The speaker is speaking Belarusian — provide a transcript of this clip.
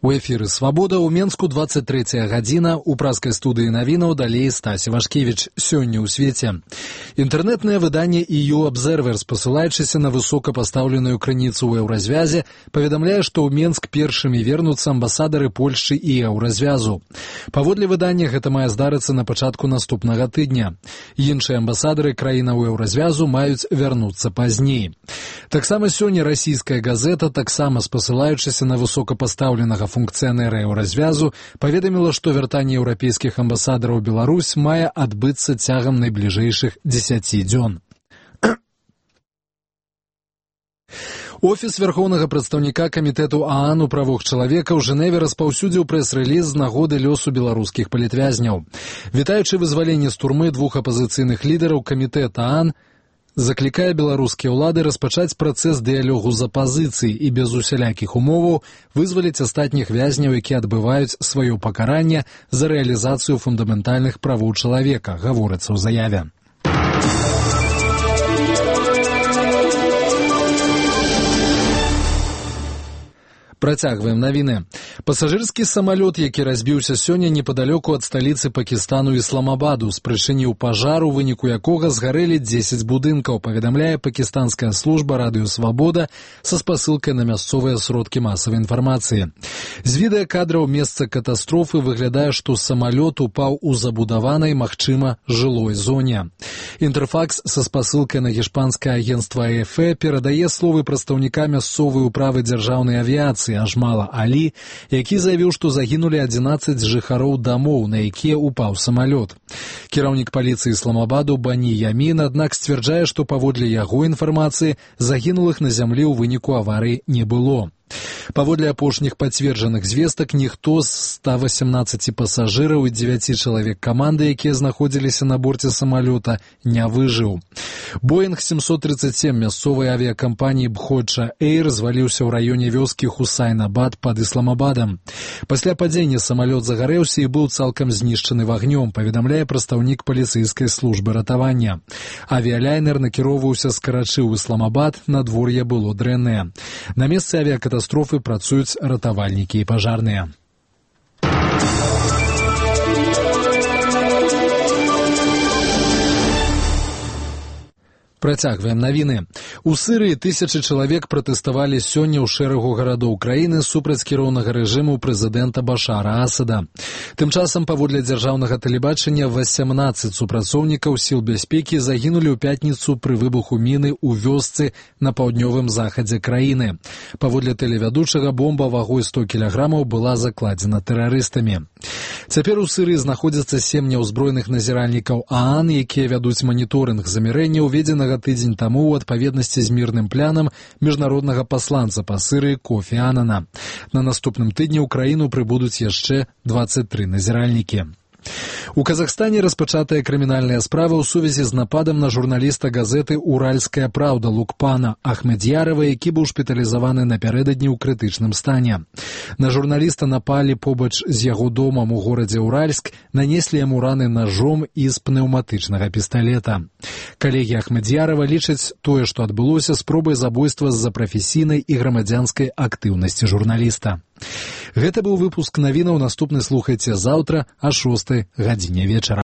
У эфіры «Свабода» ў Менску 23 гадзіна. У праскай студыі навінаў далей Стась Івашкевіч. Сёння ў свеце. Інтэрнэтнае выданне EU Observer, спасылаючыся на высокапастаўленую крыніцу ў еўразвязе, паведамляе, што ў Менск першымі вернуцца амбасадары Польшчы і еўразвязу. Паводле выдання гэта мае здарыцца на пачатку наступнага тыдня. Іншыя амбасадары краінаў еўразвязу маюць вярнуцца пазней. Таксама сёння расійская газета, таксама спасылаючыся на высокапастаўленага функцыянера еўразвязу, паведаміла, што вяртанне еўрапейскіх амбасадараў у Беларусь мае адбыцца цягам найбліжэйшых 10 дзён. Офіс вярхоўнага прадстаўніка камітэту ААН у правах чалавека ў Жэневе распаўсюдзіў прэс-рэліз з нагоды лёсу беларускіх палітвязняў. Вітаючы вызваленне з турмы двух апазіцыйных лідараў, камітэт ААН заклікае беларускія ўлады распачаць працэс дыялогу з апазіцыяй і без усялякіх умоваў вызваліць астатніх вязняў, якія адбываюць сваё пакаранне за рэалізацыю фундаментальных правоў чалавека, гаворыцца ў заяве. Працягваем навіны. Пасажырскі самалёт, які разбіўся сёння непадалёку ад сталіцы Пакістану Ісламабаду, спрычыніў пажар, у выніку якога згарэлі 10 будынкаў, паведамляе пакістанская служба радыё «Свабода» са спасылкай на мясцовыя сродкі масавай інфармацыі. З відэакадраў месца катастрофы выглядае, што самалёт упаў у забудаванай, магчыма, жылой зоне. Інтэрфакс са спасылкай на гішпанскае агенцтва АФП перадае словы прадстаўніка мясцовай управы дзяржаўнай авіяцыі Ажмала Алі, які заявіў, што загінулі 11 жыхароў дамоў, на якія упаў самалёт. Кіраўнік паліцыі Ісламабаду Бані Ямін, аднак, сцвярджае, што паводле яго інфармацыі загінулых на зямлі ў выніку аварыі не было. Паводле апошніх пацверджаных звестак, ніхто з 118 пасажыраў і 9 чалавек каманды, якія знаходзіліся на борце самалёта, не выжыў. Боинг 737 мясцовай авіякампаніі Бходжа Эйр зваліўся ў раёне вёскі Хусайнабад пад Ісламабадам. Пасля падзення самалёт загарэўся і быў цалкам знішчаны вагнём, паведамляе прадстаўнік паліцэйскай службы ратавання. Авіялайнер накіроўваўся з Карачы ў Ісламабад, надвор'е было дрэннае. На месцы авіякатастрофы працуюць ратавальнікі і пажарныя. Працягваем навіны. У Сырыі тысячы чалавек пратэставалі сёння ў шэрагу гарадоў краіны супраць кіроўнага рэжыму прэзідэнта Башара Асада. Тым часам, паводле дзяржаўнага тэлебачання, 18 супрацоўнікаў сіл бяспекі загінулі ў пятніцу пры выбуху міны ў вёсцы на паўднёвым захадзе краіны. Паводле тэлевядучага, бомба вагой 100 кілаграмаў была закладзена тэрарыстамі. Цяпер у Сырыі знаходзяцца 7 няўзброеных назіральнікаў ААН, якія вядуць маніторынг замірэння, уведзенага тыдзень таму ў адпаведнасці з мірным планам міжнароднага пасланца па Сырыі Кофі Анана. На наступным тыдні ў краіну прыбудуць яшчэ 23 назіральнікі. У Казахстане распачатая крымінальная справа ў сувязі з нападам на журналіста газеты «Уральская правда» Лукпана Ахмедьярова, які быў шпіталізаваны напярэдадні ў крытычным стане. На журналіста напалі побач з яго домам у горадзе Уральск, нанеслі яму раны нажом і з пнеўматычнага пісталета. Калегі Ахмедьярова лічаць тое, што адбылося, спробай забойства з-за прафесійнай і грамадзянскай актыўнасці журналіста. Гэта быў выпуск навінаў, наступны слухайце заўтра о 6 гадзіне вечара.